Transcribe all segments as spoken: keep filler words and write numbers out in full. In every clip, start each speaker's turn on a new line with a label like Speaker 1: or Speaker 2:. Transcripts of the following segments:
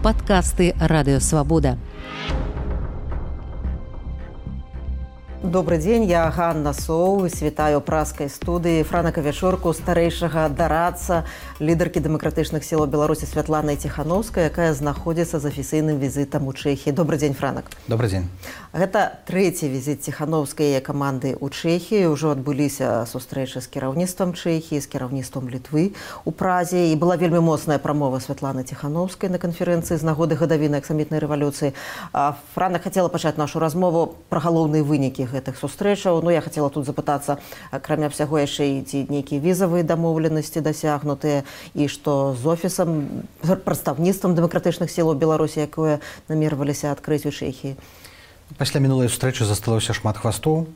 Speaker 1: Падкасты Радыё Свабода.
Speaker 2: Добрый дзень, я Ганна Соў, світаю праскай студыі Франака Вячорку, старэйшага дарадца, лідаркі дэмакратычных сілаў Беларусі Святланы Ціхановскай, якая знаходзіцца з афіцыйным візітам у Чэхіі. Добрый дзень, Франак.
Speaker 3: Добрый дзень.
Speaker 2: Гэта трэці візіт Ціхановскай яе каманды ў Чэхіі. Ужо адбыліся сустрэчы з кіраўніцтвам Чэхіі, з кіраўніцтвам Літвы ў Празе. І была вельмі моцная прамова Святланы Ціхановскай на канферэнцыі з нагоды гадавіны аксамітнай рэвалюцыі. Франак хацела пачаць нашу размову пра галоўныя вынікі гэтых сустрэчаў. Ну, я хацела тут запытацца, акрамя ўсяго яшчэ і ці нейкія візавыя дамоўленасці дасягнутыя, і што з офісам, прадстаўніцтвам дэмакратычных сілаў Беларусі, якое намерваліся адкрыць у Чэхіі.
Speaker 3: Пасля мінулай сустрэчы засталося шмат хвастоў,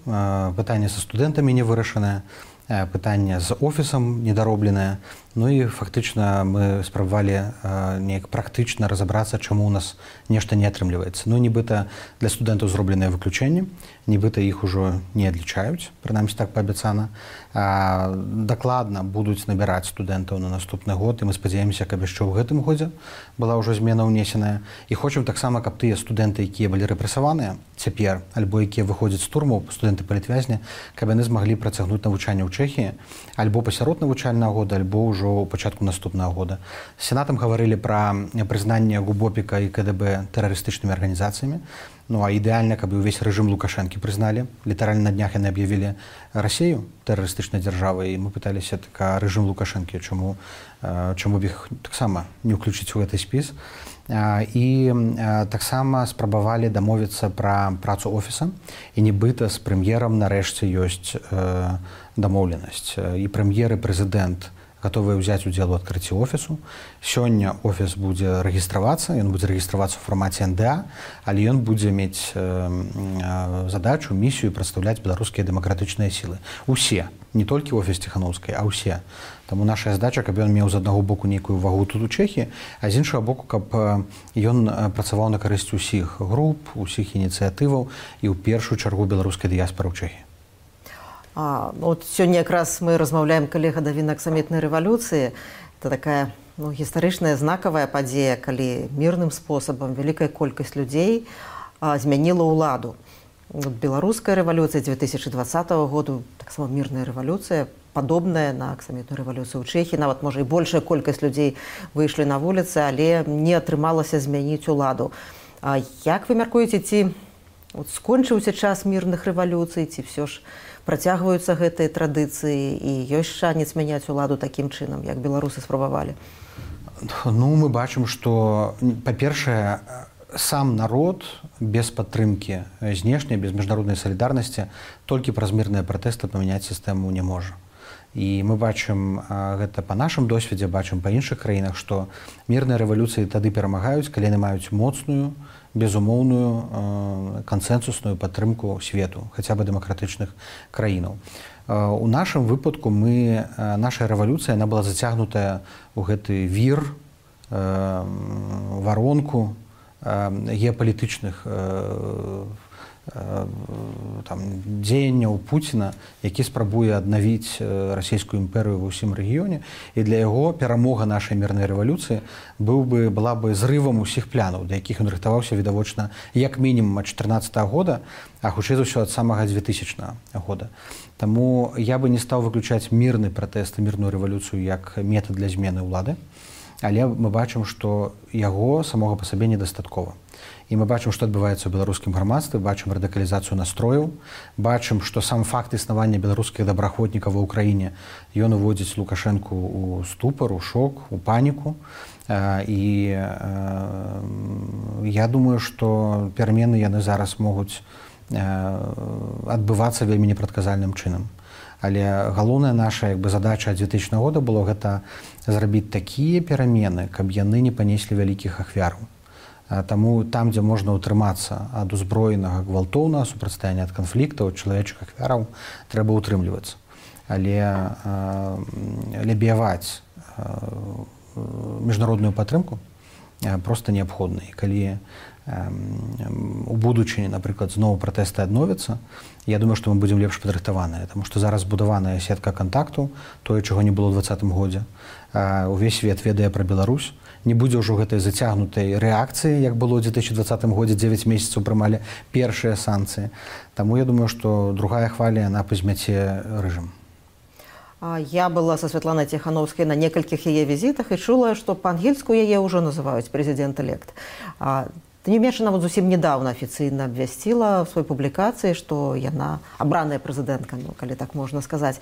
Speaker 3: пытанне са студэнтамі не вырашанае, пытанне з офісам недаробленае. Ну і фактычна мы спрабавалі неяк практычна разабрацца, чаму ў нас нешта не атрымліваецца. Ну, нібыта для студэнтаў зробленыя выключэнні, нібыта іх ужо не адлічаюць, прынамсі так паабяцана. Дакладна будуць набіраць студэнтаў на наступны год, і мы спадзяемся, каб яшчэ ў гэтым годзе была ўжо змена ўнесеная. І хочам таксама, каб тыя студэнты, якія былі рэпрэсаваныя цяпер, альбо якія выходзяць з турмаў, студэнты-палітвязні, каб яны змаглі працягнуць навучанне ў Чэхіі, альбо пасярод навучальнага года, альбо ўжо у пачатку наступнага года. З сенатам гаварылі пра прызнанне ГУБОПіка і КДБ тэрарыстычнымі арганізацыямі. Ну, а ідэальна, каб увесь рэжым Лукашэнкі прызналі. Літаральна на днях яны аб'явілі Расію тэрарыстычнай дзяржавай, і мы пыталіся, так, а рэжым Лукашэнкі, чаму, чаму б іх таксама не ўключыць у гэты спіс. І таксама спрабавалі дамовіцца пра працу офіса, і нібыта з прэм'ерам нарэшце ёсць дамоўленасць. І прэм'ер і прэзідэнт гатовыя ўзяць удзел у адкрыцці офісу. Сёння офіс будзе рэгістравацца, ён будзе рэгістравацца ў фармаце эн дэ а, але ён будзе мець задачу, місію прадстаўляць беларускія дэмакратычныя сілы. Усе, не толькі офіс Ціхановскай, а ўсе. Таму наша задача, каб ён меў з аднаго боку нейкую вагу тут у Чэхіі, а з іншага боку, каб ён працаваў на карысць усіх груп, усіх ініцыятываў і ў першую чаргу беларускай дыяспары ў Чэхіі.
Speaker 2: А, от сёння якраз мы размаўляем, калі гадавіна аксамітнай рэвалюцыі. Это такая, ну, гістарычная знакавая падзея, калі мірным спосабам вялікая колькасць людзей а, змяніла ўладу. От беларуская рэвалюцыя дзве тысячы дваццатага году, таксама мірная рэвалюцыя, падобная на аксамітную рэвалюцыю ў Чэхіі. Нават, можа, і большая колькасць людзей выйшлі на вуліцы, але не атрымалася змяніць уладу. А як вы мяркуеце, ці от скончыўся час мірных рэвалюцый, ці ўсё ж працягваюцца гэтыя традыцыі і ёсць шанец мяняць уладу такім чынам, як беларусы спрабавалі?
Speaker 3: Ну, мы бачым, што, па-першае, сам народ без падтрымкі знешняй, без міжнароднай салідарнасці толькі праз мірныя пратэсты памяняць сістэму не можа. І мы бачым гэта па нашым досведзе, бачым па іншых краінах, што мірныя рэвалюцыі тады перамагаюць, калі яны маюць моцную, безумоўную кансэнсусную падтрымку свету, хаця бы дэмакратычных краінаў. У нашым выпадку мы, наша рэвалюцыя, яна была зацягнутая ў гэты вір, варонку геапалітычных там, дзеянняў Пуціна, які спрабуе аднавіць расійскую імперыю ва ўсім рэгіёне, і для яго перамога нашай мірнай рэвалюцыі быў бы, была бы зрывам усіх плянаў, да якіх ён рыхтаваўся відавочна як мінімум ад чатырнаццатага года, а хутчэй за ўсё ад самага дзвютысячнага года. Таму я бы не стаў выключаць мірны пратэст і мірную рэвалюцыю як метад для змены ўлады, але мы бачым, што яго самога па сабе недастаткова. І мы бачым, што адбываецца ў беларускім грамадстве, бачым радыкалізацыю настрояў, бачым, што сам факт існавання беларускіх добраахвотнікаў ва ўкраіне, ён уводзіць Лукашэнку ў ступар, у шок, у паніку. І я думаю, што перамены яны зараз могуць адбывацца вельмі непрадказальным чынам. Але галоўная наша, як бы, задача ад дзвютысячнага года было гэта зрабіць такія перамены, каб яны не панеслі вялікіх ахвяраў. Таму там, дзе можна ўтрымацца ад узброенага гвалтоўнага супрацьстаяння, ад канфліктаў, ад чалавечых ахвяраў, трэба ўтрымлівацца. Але лябіяваць міжнародную падтрымку проста неабходна. І калі у будучыні, напрыклад, зноў пратэсты адновяцца, я думаю, што мы будзем лепш падрыхтаваныя, таму што зараз будаваная сетка кантактаў, тое, чаго не было ў дваццатым годзе. Увесь свет ведае пра Беларусь, не будзе ўжо гэтай зацягнутай рэакцыі, як было ў две тысячи двадцатым годзе, дзевяць месяцаў прымалі першыя санкцыі. Таму я думаю, што другая хваля, яна пазмяце рэжым.
Speaker 2: Я была со Светланай Тихановской на некалькіх яе візітах і чула, што па-ангельску яе ўжо называюць прэзідэнт-элект. Тым не менш, она вот зусім недавно афіцыйна абвясціла в сваёй публікацыі, што яна абраная прэзідэнтка, ну, калі так можна сказаць.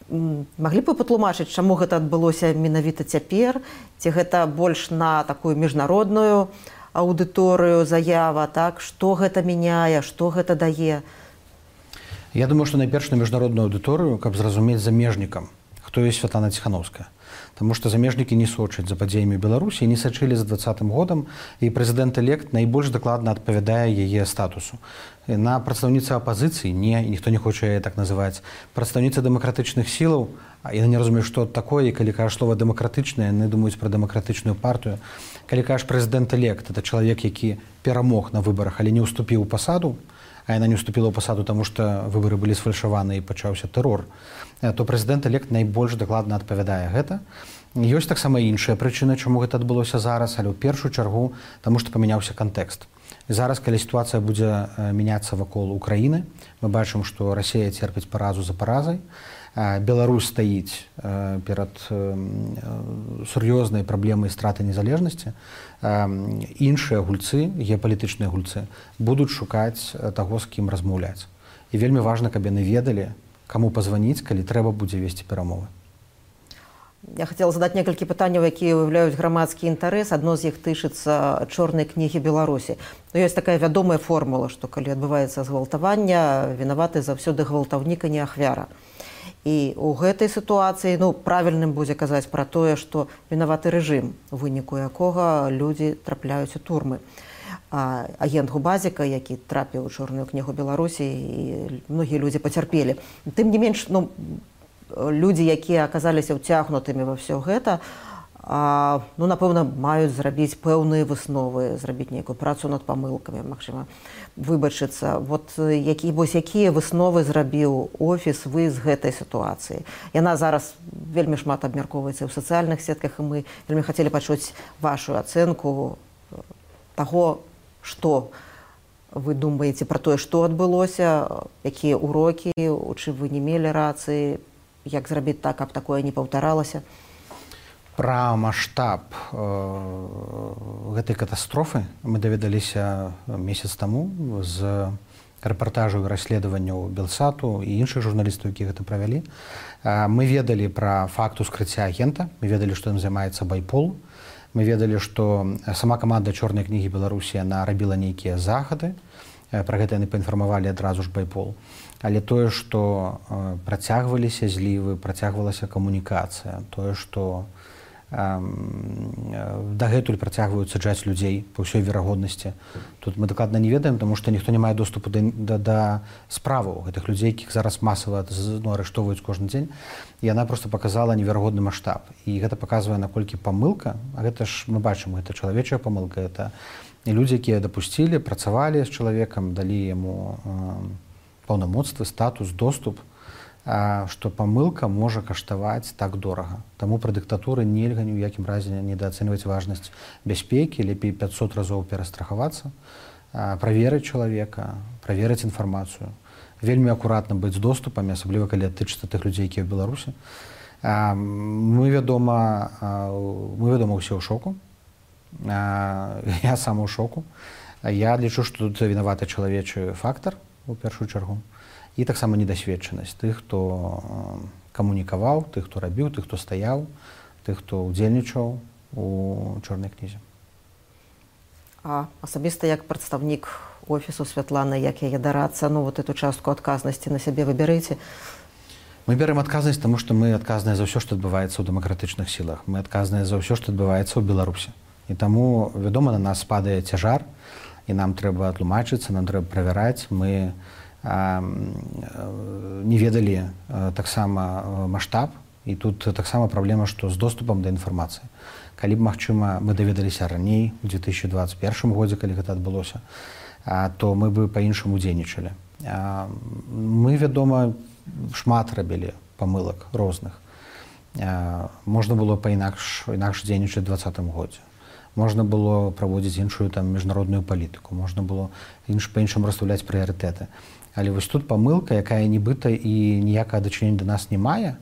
Speaker 2: Маглі б вы патлумачыць, чаму гэта адбылося менавіта цяпер? Ці гэта больш на такую міжнародную аўдыторыю заява, так? Што гэта мяняе, што гэта дае?
Speaker 3: Я думаю, што найперш на міжнародную аўдыторыю, каб зразумець замежнікам, хто ёсць Святлана Тихановская. Таму што замежнікі не сочаць за падзеямі Беларусі, не сачылі за двадцатым годам, і прэзідэнт-элект найбольш дакладна адпавядае яе статусу. На прадстаўніца апазіцыі не, ніхто не хоча яе так называць. Прадстаўніца дэмакратычных сілаў, яны не разумеюць, што такое, і калі кажаш слова дэмакратычнае, яны думаюць пра дэмакратычную партыю. Калі кажаш прэзідэнт-элект, это чалавек, які перамог на выбарах, але не ўступіў у пасаду, а яна не ўступіла ў пасаду, таму што выбары былі сфальшаваны і пачаўся тэрор, то прэзідэнт-элект найбольш дакладна адпавядае гэта. Ёсць таксама іншая прычына, чаму гэта адбылося зараз, але ў першую чаргу, таму што памяняўся кантэкст. Зараз, калі сітуацыя будзе мяняцца вакол Украіны, мы бачым, што Расія церпіць паразу за паразай, Беларусь стаіць перад сур'ёзнай праблемай страты незалежнасці, іншыя гульцы, геапалітычныя гульцы, будуць шукаць таго, з кім размаўляць. І вельмі важна, каб яны ведалі, каму пазваніць, калі трэба будзе весці перамовы.
Speaker 2: Я хацела задаць некалькі пытанняў, якія выяўляюць грамадскі інтарэс. Адно з іх тычыцца чорнай кнігі Беларусі. Но ёсць такая вядомая формула, што калі адбываецца згвалтаванне, вінаваты заўсёды гвалтаўнік, а не ахвяра. І ў гэтай сітуацыі, ну, правільным будзе казаць пра тое, што вінаваты рэжым, у выніку якога людзі трапляюць у турмы. А, агент Губазіка, які трапіў у чорную кнігу Беларусі, і многія людзі пацярпелі. Тым не менш, ну, людзі, якія аказаліся ўцягнутымі ва ўсё гэта, а, ну, напэўна, маюць зрабіць пэўныя высновы, зрабіць нейкую працу над памылкамі, магчыма, выбачыцца. Вот які, вось якія высновы зрабіў офіс вы з гэтай сітуацыі? Яна зараз вельмі шмат абмяркоўваецца ў сацыяльных сетках, і мы вельмі хацелі пачуць вашу ацэнку таго, што вы думаеце пра тое, што адбылося, якія ўрокі, у чым вы не мелі рацыі, як зрабіць так, каб такое не паўтаралася?
Speaker 3: Пра маштаб э, гэтай катастрофы мы даведаліся месяц таму з рэпартажаў і расследаванняў Белсату і іншых журналістаў, якія гэта правялі. Э, мы ведалі пра факт ускрыцця агента, мы ведалі, што ім займаецца байпол. Мы ведалі, што сама каманда чорнай кнігі Беларусі, яна рабіла нейкія захады, пра гэта яны паінфармавалі адразу ж байпол. Але тое, што працягваліся злівы, працягвалася камунікацыя, тое, што дагэтуль працягваюць саджаць людзей па ўсёй верагоднасці. Тут мы дакладна не ведаем, таму што ніхто не мае доступу да, да, да справаў гэтых людзей, якіх зараз масава ну, арыштоўваюць кожны дзень. І яна проста паказала неверагодны маштаб. І гэта паказвае, наколькі памылка, а гэта ж мы бачым, гэта чалавечая памылка, гэта людзі, якія дапусцілі, працавалі з чалавекам, далі яму э, паўнамоцтвы, статус, доступ, што памылка можа каштаваць так дорага. Таму пра дыктатуры нельга ні ў якім разе недаацэньваць важнасць бяспекі, лепей пятьсот разоў перастрахавацца, праверыць чалавека, праверыць інфармацыю, вельмі акуратна быць з доступамі, асабліва калі тычыцца тых людзей, якія ў Беларусі. Мы, вядома, мы, вядома, ўсе ў шоку. Я сам у шоку. Я лічу, што тут вінаваты чалавечы фактар у першую чаргу. І таксама недасведчанасць тых, хто камунікаваў, тых, хто рабіў, тых, хто стаяў, тых, хто ўдзельнічаў у чорнай кнізе.
Speaker 2: А асабіста як прадстаўнік офісу Святланы, як яе дарацца, ну вот эту частку адказнасці на сябе выбярыце?
Speaker 3: Мы бярем адказнасць, таму што мы адказныя за ўсё, што адбываецца ў дэмакратычных сілах. Мы адказныя за ўсё, што адбываецца ў Беларусі. І таму, вядома, на нас падае цяжар, і нам трэба тлумачыцца, нам трэба правяраць. Мы не ведалі таксама маштаб, і тут таксама праблема, што з доступам да інфармацыі. Калі б, магчыма, мы даведаліся раней, у две тысячи двадцать первым годзе, калі гэта адбылося, то мы бы па-іншаму дзейнічалі. Мы, вядома, шмат рабілі памылак розных. Можна было па-інакш інакш дзейнічаць у двадцатым годзе. можна было праводзіць іншую там міжнародную палітыку, можна было інш па-іншаму расстаўляць прыярытэты. Але вось тут памылка, якая нібыта і ніякага дачынення да нас не мае,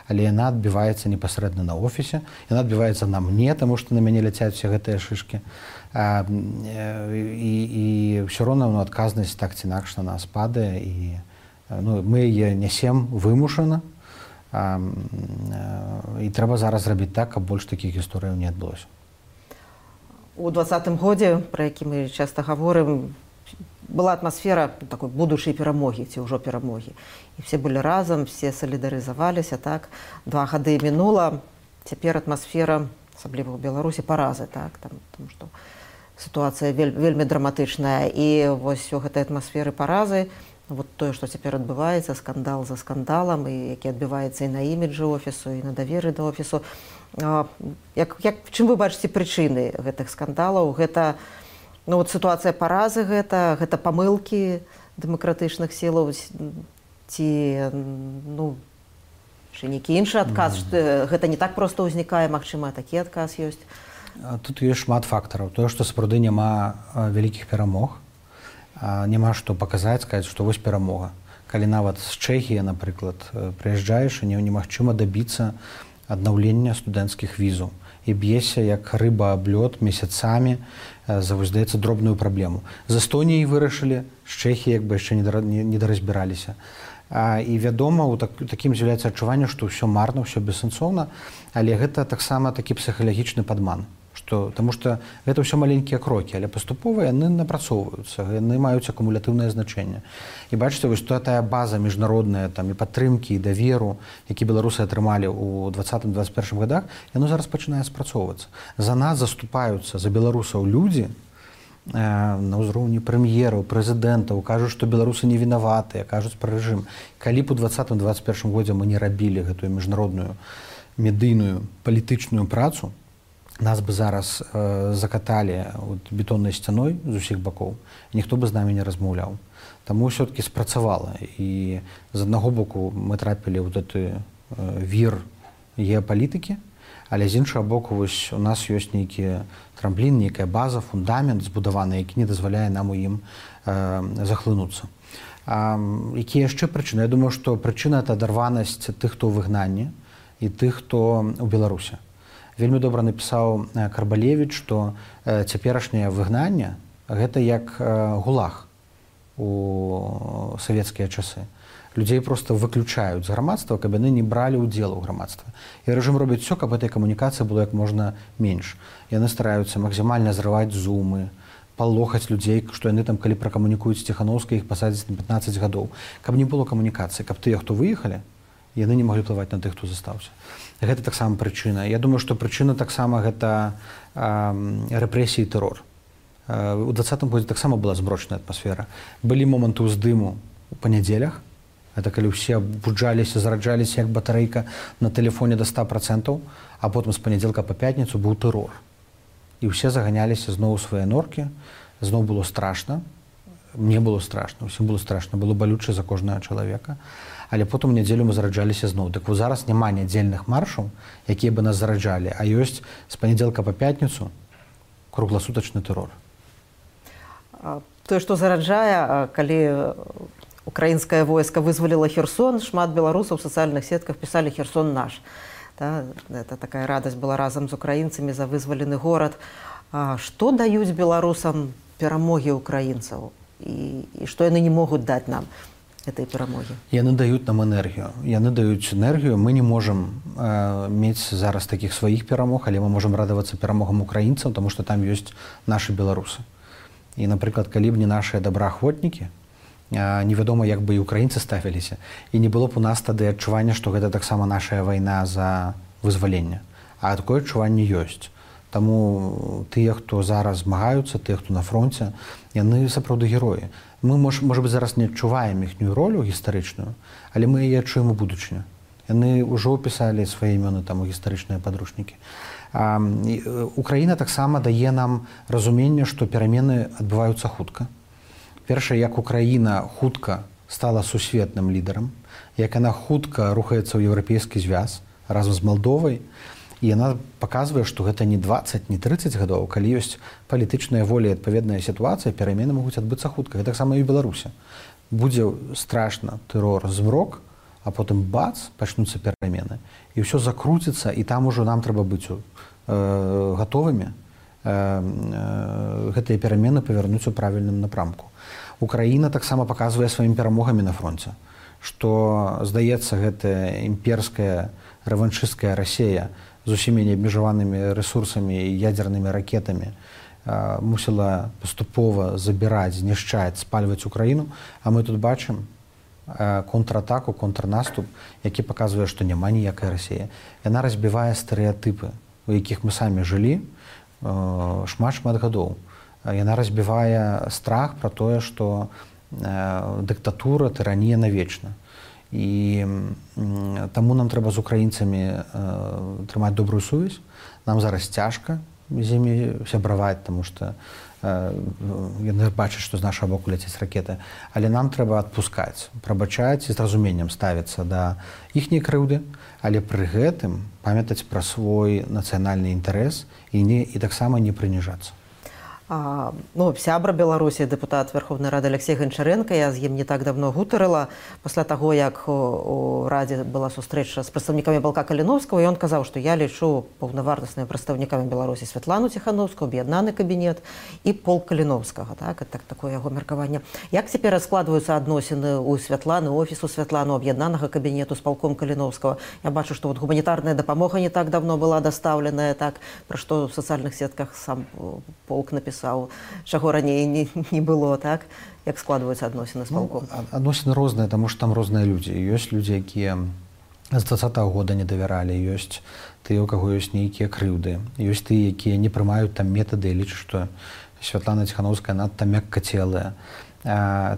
Speaker 3: але яна адбіваецца непасрэдна на офісе, яна адбіваецца на мне, таму што на мяне ляцяць усе гэтыя шышкі. А, і, і ўсё роўна ну, адказнасць так ці інакш на нас падае, і ну, мы яе нясем вымушана, а, і трэба зараз зрабіць так, каб больш такіх гісторыяў не адбылося.
Speaker 2: У двадцатым годзе, пра які мы часта гаворым, была атмасфера такой будучай перамогі ці ўжо перамогі. І все былі разам, все салідарызаваліся, так. Два гады мінула, цяпер атмасфера, асабліва ў Беларусі, паразы, так, там, тому што сітуацыя вель, вельмі драматычная. І вось у гэтай атмасферы паразы, вот тое, што цяпер адбываецца, скандал за скандалам, і які адбываецца і на іміджы офісу, і на даверы да офісу. Як, як, чым вы бачыце прычыны гэтых скандалаў? Гэта ну, вот сітуацыя паразы, гэта, гэта памылкі дэмакратычных сілаў, ці ну, нейкі іншы адказ, mm. гэта не так проста ўзнікае, магчыма, такі адказ ёсць?
Speaker 3: Тут ёсць шмат фактараў. Тое, што сапраўды няма вялікіх перамог, няма што паказаць, сказаць, што вось перамога. Калі нават з Чэхіі, напрыклад, прыязджаеш, і немагчыма дабіцца аднаўлення студэнцкіх візаў. І б'ешся, як рыба аб лёд, месяцамі за, здаецца, дробную праблему. З Эстоніяй вырашылі, з Чэхіі як бы яшчэ не даразбіраліся. А, і вядома, у так, такім з'яўляецца адчуванне, што ўсё марна, ўсё бессэнсоўна, але гэта таксама такі псіхалагічны падман. Што, таму што гэта ўсё маленькія крокі, але паступова яны напрацоўваюцца, яны маюць акумулятыўнае значэнне. І бачыце, вось тая база міжнародная там, і падтрымкі, і даверу, які беларусы атрымалі ў двадцатым двадцать першым годах, яно зараз пачынае спрацоўвацца. За нас заступаюцца, за беларусаў людзі, э, на ўзроўні прэм'ераў, прэзідэнтаў, кажуць, што беларусы не вінаватыя, кажуць пра рэжым. Калі б у двадцатым двадцать першым годзе мы не рабілі гэтую міжнародную, медыйную, палітычную працу, нас бы зараз э, закаталі бетоннай сцяной з усіх бакоў, ніхто бы з намі не размаўляў. Таму ўсё-такі спрацавала. І з аднаго боку мы трапілі ў гэты э, вір геапалітыкі, але з іншага боку вось у нас ёсць нейкі трамплін, нейкая база, фундамент збудаваны, які не дазваляе нам у ім э, захлынуцца. А, якія яшчэ прычыны? Я думаю, што прычына — это адарванасць тых, хто ў выгнанні, і тых, хто ў Беларусі. Вельмі добра напісаў Карбалевіч, што э, цяперашняе выгнанне — гэта як э, гулаг у савецкія часы. Людзей проста выключаюць з грамадства, каб яны не бралі ўдзел у грамадстве. І рэжым робіць усё, каб этой камунікацыі было як можна менш. Яны стараюцца максімальна зрываць зумы, палохаць людзей, што яны там, калі пракамунікуюць з Ціханаўскай, іх пасадзяць на пятнаццаць гадоў. Каб не было камунікацыі, каб тыя, хто выехалі, яны не маглі плываць на тых, хто застаўся. Гэта таксама прычына. Я думаю, што прычына таксама гэта э, рэпрэсіі і тэрор. Э, у двадцатым годзе таксама была змрочная атмасфера. Былі моманты ўздыму у панядзелях. Это калі ўсе буджаліся, зараджаліся як батарэйка на тэлефоне да ста працэнтаў, а потым з панядзелка па пятніцу быў тэрор. І ўсе заганяліся зноў у свае норкі, зноў было страшна. Мне было страшна, усім было страшна, было балюча за кожнага чалавека. Але потым у нядзелю мы зараджаліся зноў. Так вот зараз няма нядзельных маршаў, якія бы нас зараджалі, а ёсць з панядзелка па пятніцу кругласутачны тэрор.
Speaker 2: Тое, што зараджае, калі украінскае войска вызваліла Херсон, шмат беларусаў у сацыяльных сетках пісалі «Херсон наш». Да? Это такая радасць была разам з украінцамі за вызвалены горад. А што даюць беларусам перамогі украінцаў? І, і што яны не могуць даць нам этой перамогі?
Speaker 3: Яны даюць нам энергію. Яны даюць энергію. Мы не можам э, мець зараз такіх сваіх перамог, але мы можам радавацца перамогам украінцаў, таму што там ёсць нашы беларусы. І, напрыклад, калі б не нашыя добраахвотнікі, э, невядома, як бы і украінцы ставіліся. І не было б у нас тады адчування, што гэта таксама нашая вайна за вызваленне. А такое адчуванне ёсць. Таму тыя, хто зараз змагаюцца, тыя, хто на фронце, яны сапраўды героі. Мы, можа, можа быць, зараз не адчуваем іхнюю ролю гістарычную, але мы яе адчуем у будучыню. Яны ўжо пісалі свае імёны там у гістарычныя падручнікі. А, і, Украіна таксама дае нам разуменне, што перамены адбываюцца хутка. Першае, як Украіна хутка стала сусветным лідарам, як яна хутка рухаецца ў еўрапейскі звяз разам з Малдовай, І яна паказвае, што гэта не дваццаць, не трыццаць гадоў, калі ёсць палітычная воля і адпаведная сітуацыя, перамены могуць адбыцца хутка. Гэта таксама і ў Беларусі. Будзе страшна тэрор, змрок, а потым бац, пачнуцца перамены. І ўсё закруціцца, і там ужо нам трэба быць э, гатовымі э, э, гэтыя перамены павярнуць у правільным напрамку. Украіна таксама паказвае сваімі перамогамі на фронце, што, здаецца, гэтая імперская рэваншысцкая Расія з усімі неабмежаванымі рэсурсамі і ядзернымі ракетамі э, мусіла паступова забіраць, знішчаць, спальваць Украіну, а мы тут бачым э, контратаку, контрнаступ, які паказвае, што няма ніякай Расіі. Яна разбівае стэрэатыпы, у якіх мы самі жылі шмат-шмат э, гадоў. Яна разбівае страх пра тое, што э, дыктатура, тыранія навечна. І э, таму нам трэба з украінцамі э, трымаць добрую сувязь. Нам зараз цяжка з імі сябраваць, таму што э, яны бачаць, што з нашага боку ляцяць ракеты. Але нам трэба адпускаць, прабачаць і з разуменнем ставіцца да іхняй крыўды, але пры гэтым памятаць пра свой нацыянальны інтарэс і, не, і таксама не прыніжацца.
Speaker 2: А, ну, сябра Беларусі, дэпутат Верховнай Рады Алексей Гончаренко, я з ім не так давно гутарыла, пасля таго, як у, у Радзе была сустрэча з прадстаўнікамі Балка Каліновскага, і ён казаў, што я лічу паўнавартаснымі прадстаўнікамі Беларусі Святлану Ціхановскую, аб'яднаны кабінет і полк Каліновскага. Так, так, такое яго меркаванне. Як цяпер складваюцца адносіны ў Святланы, офісу Святлану, аб'яднанага кабінету з палком Каліновскага? Я бачу, што вот гуманітарная дапамога не так давно была дастаўленая, так, пра што ў сацыяльных сетках сам полк напісаў, чаго раней не, не было, так? Як складваюцца адносіны з палком?
Speaker 3: Ну, адносіны розныя, таму што там розныя людзі. Ёсць людзі, якія з дваццатага года не давяралі, ёсць тыя, у каго ёсць нейкія крыўды, ёсць тыя, якія не прымаюць там метады і лічаць, што Святлана Ціхановская надта мяккацелая.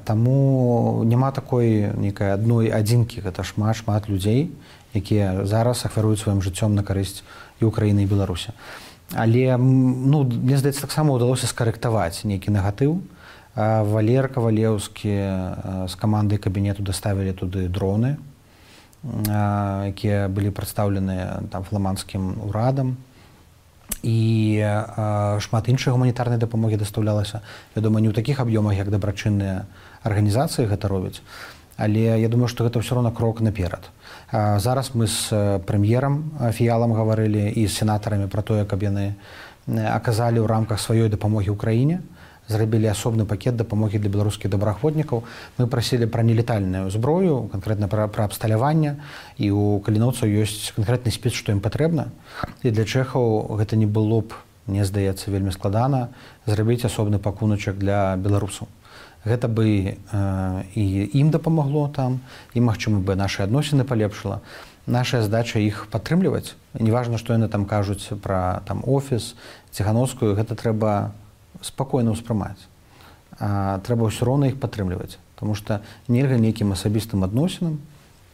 Speaker 3: Таму няма такой нейкай адной адзінкі, гэта шмат-шмат людзей, якія зараз ахвяруюць сваім жыццём на карысць і Украіны, і Беларусі. Але, ну, мне здаецца, таксама ўдалося скарэктаваць нейкі негатыў. Валер Кавалеўскі з камандай кабінету даставілі туды дроны, якія былі прадстаўленыя там фламандскім урадам. І шмат іншай гуманітарнай дапамогі дастаўлялася. Вядома, не ў такіх аб'ёмах, як дабрачынныя арганізацыі гэта робяць, але я думаю, што гэта ўсё роўна крок наперад. Зараз мы з прэм'ерам Фіялам гаварылі і з сенатарамі пра тое, каб яны аказалі ў рамках сваёй дапамогі ўкраіне, зрабілі асобны пакет дапамогі для беларускіх добраахвотнікаў. Мы прасілі пра нелетальную зброю, канкрэтна пра, пра абсталяванне, і ў каліноўцаў ёсць канкрэтны спіс, што ім патрэбна. І для чэхаў гэта не было б, мне здаецца, вельмі складана зрабіць асобны пакуначак для беларусаў. Гэта бы э, і ім дапамагло там, і, магчыма, бы нашы адносіны палепшыла. Наша задача іх падтрымліваць. Неважна, што яны там кажуць пра там офіс, Ціхановскую, гэта трэба спакойна ўспрымаць. А, трэба ўсё роўна іх падтрымліваць, таму што нельга нейкім асабістым адносінам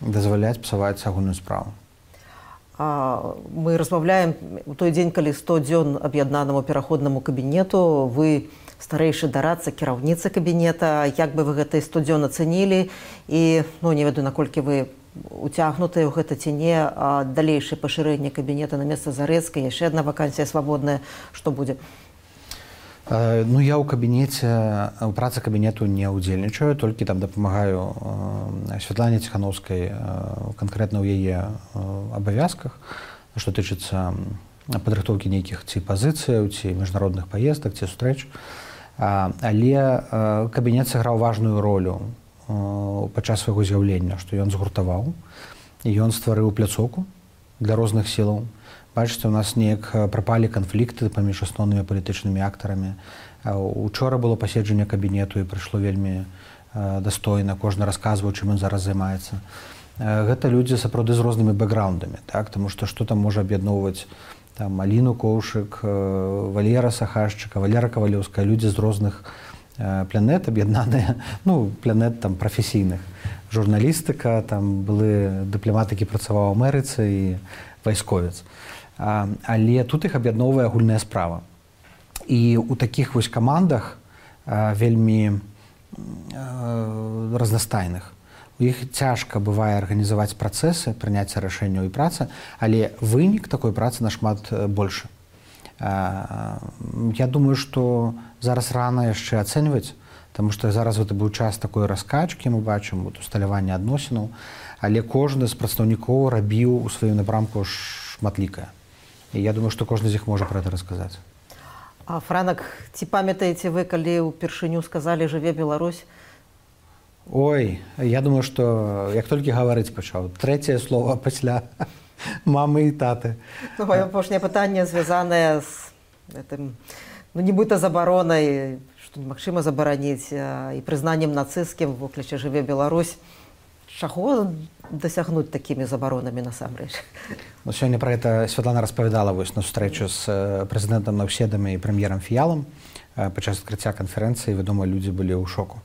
Speaker 3: дазваляць псаваць агульную справу.
Speaker 2: А, мы размаўляем у той дзень, калі сто дзён аб'яднанаму пераходнаму кабінету, вы старэйшы дарадца, кіраўніца кабінета, як бы вы гэты сто дзён ацэнілі і, ну, не ведаю, наколькі вы уцягнутыя ў гэта ці не, а далейшае пашырэнне кабінета на месца Зарэцкай, яшчэ адна вакансія свабодная, што будзе?
Speaker 3: Ну, я ў кабінеце, у працы кабінету не ўдзельнічаю, толькі там дапамагаю Святлане Ціхановскай канкрэтна ў яе абавязках, што тычыцца падрыхтоўкі нейкіх ці пазіцыяў, ці міжнародных паездак, ці сустрэч. Але кабінет сыграў важную ролю падчас свайго з'яўлення, што ён згуртаваў, і ён стварыў пляцоўку для розных сілаў. Бачыце, у нас неяк прапалі канфлікты паміж асноўнымі палітычнымі актарамі. Учора было паседжанне кабінету і прыйшло вельмі дастойна, кожны расказваў, чым ён зараз займаецца. Гэта людзі сапраўды з рознымі бэкграўндамі, так? Таму што што там можа аб'ядноўваць там Аліну Коўшык, Валера Сахашчыка, Валера Кавалеўская, людзі з розных планет аб'яднаныя, ну, планет там прафесійных. Журналістыка, там былы дыпламат, які працаваў у Амерыцы, і вайсковец. А, але тут іх аб'ядноўвае агульная справа. І ў такіх вось камандах а, вельмі а, разнастайных у іх цяжка бывае арганізаваць працэсы, прыняцця рашэнняў і працы, але вынік такой працы нашмат большы. Я думаю, што зараз рана яшчэ ацэньваць, таму што зараз гэта быў час такой раскачкі, мы бачым усталявання адносінаў, але кожны з прадстаўнікоў рабіў у сваім напрамку шматлікае. І я думаю, што кожны з іх можа пра гэта расказаць.
Speaker 2: А, Франак, ці памятаеце вы, калі ўпершыню сказалі «Жыве Беларусь»?
Speaker 3: Ой, я думаю, што як толькі гаварыць пачаў, трэцяе слова пасля мамы і таты.
Speaker 2: Ну, маё апошняе пытанне звязанае з гэтым, ну, нібыта забаронай, што немагчыма забараніць, і прызнаннем нацысцкім в вокліча «Жыве Беларусь». Чаго дасягнуць такімі забаронамі насамрэч?
Speaker 3: Ну, сёння пра гэта Святлана распавядала вось на сустрэчу з прэзідэнтам Наўседамі і прэм'ерам Фіялам. Падчас адкрыцця канферэнцыі, вядома, людзі былі ў шоку.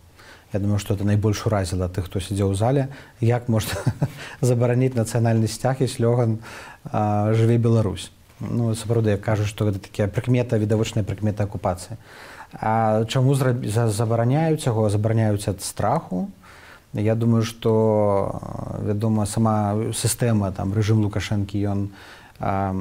Speaker 3: Я думаю, што это найбольш уразіла тых, хто сядзеў у зале. Як можна забараніць нацыянальны сцяг і слёган «Жыве Беларусь». Ну, сапраўды, як кажуць, што гэта такая прыкмета, відавочная прыкмета акупацыі. А чаму забараняюць яго? Забараняюць ад страху. Я думаю, што, вядома, сама сістэма, там, рэжым Лукашэнкі, ён а,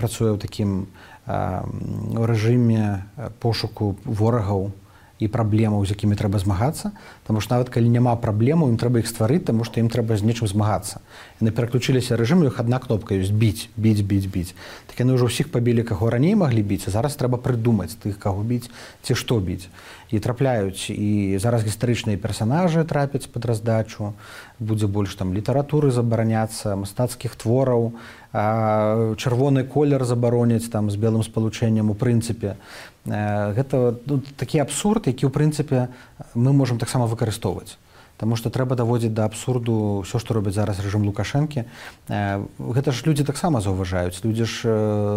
Speaker 3: працуе ў такім а, рэжыме пошуку ворагаў і праблемаў, з якімі трэба змагацца, таму што нават калі няма праблемаў, ім трэба іх стварыць, таму што ім трэба з нечым змагацца. Яны пераключыліся рэжым, у іх адна кнопка ёсць біць, біць, біць, біць. Так яны ўжо ўсіх пабілі, каго раней маглі біць, а зараз трэба прыдумаць тых, каго біць, ці што біць. І трапляюць, і зараз гістарычныя персанажы трапяць пад раздачу, будзе больш там літаратуры забараняцца, мастацкіх твораў, чырвоны колер забароняць там з белым спалучэннем у прынцыпе. Гэта, ну, такі абсурд, які ў прынцыпе мы можам таксама выкарыстоўваць. Таму што трэба даводзіць да абсурду ўсё, што робіць зараз рэжым Лукашэнкі. Гэта ж людзі таксама заўважаюць, людзі ж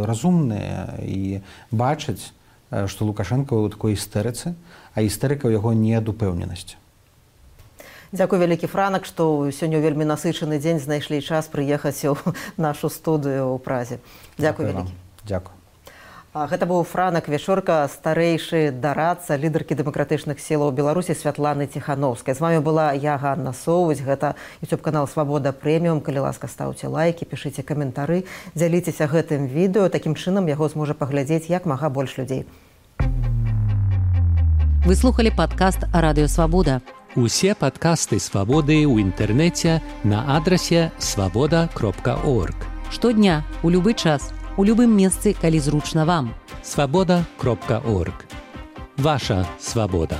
Speaker 3: разумныя і бачаць, што Лукашенко ў такой істэрыцы, а істэрыка ў яго не ад упэўненасці.
Speaker 2: Дзякуй вялікі, Франак, што сёння вельмі насычаны дзень знайшлі час прыехаць у нашу студыю ў Празе. Дзякуй вялікі.
Speaker 3: Дзякуй.
Speaker 2: Гэта быў Франак Вячорка, старэйшы дарадца лідаркі дэмакратычных сілаў Беларусі Святланы Ціхановскай. З вамі была я, Ганна Соўваць. Гэта ютуб-канал «Свабода Прэміум». Калі ласка, стаўце лайкі, пішыце каментары, дзяліцеся гэтым відэо. Такім чынам яго зможа паглядзець як мага больш людзей.
Speaker 1: Вы слухали падкаст «Радыё Свабода».
Speaker 4: Усе падкасты «Свабоды» ў інтэрнэце на адрасе свабода кропка орг.
Speaker 1: Штодня, у любы час, у любым месцы, калі зручна вам.
Speaker 4: свабода кропка орг. Ваша свабода.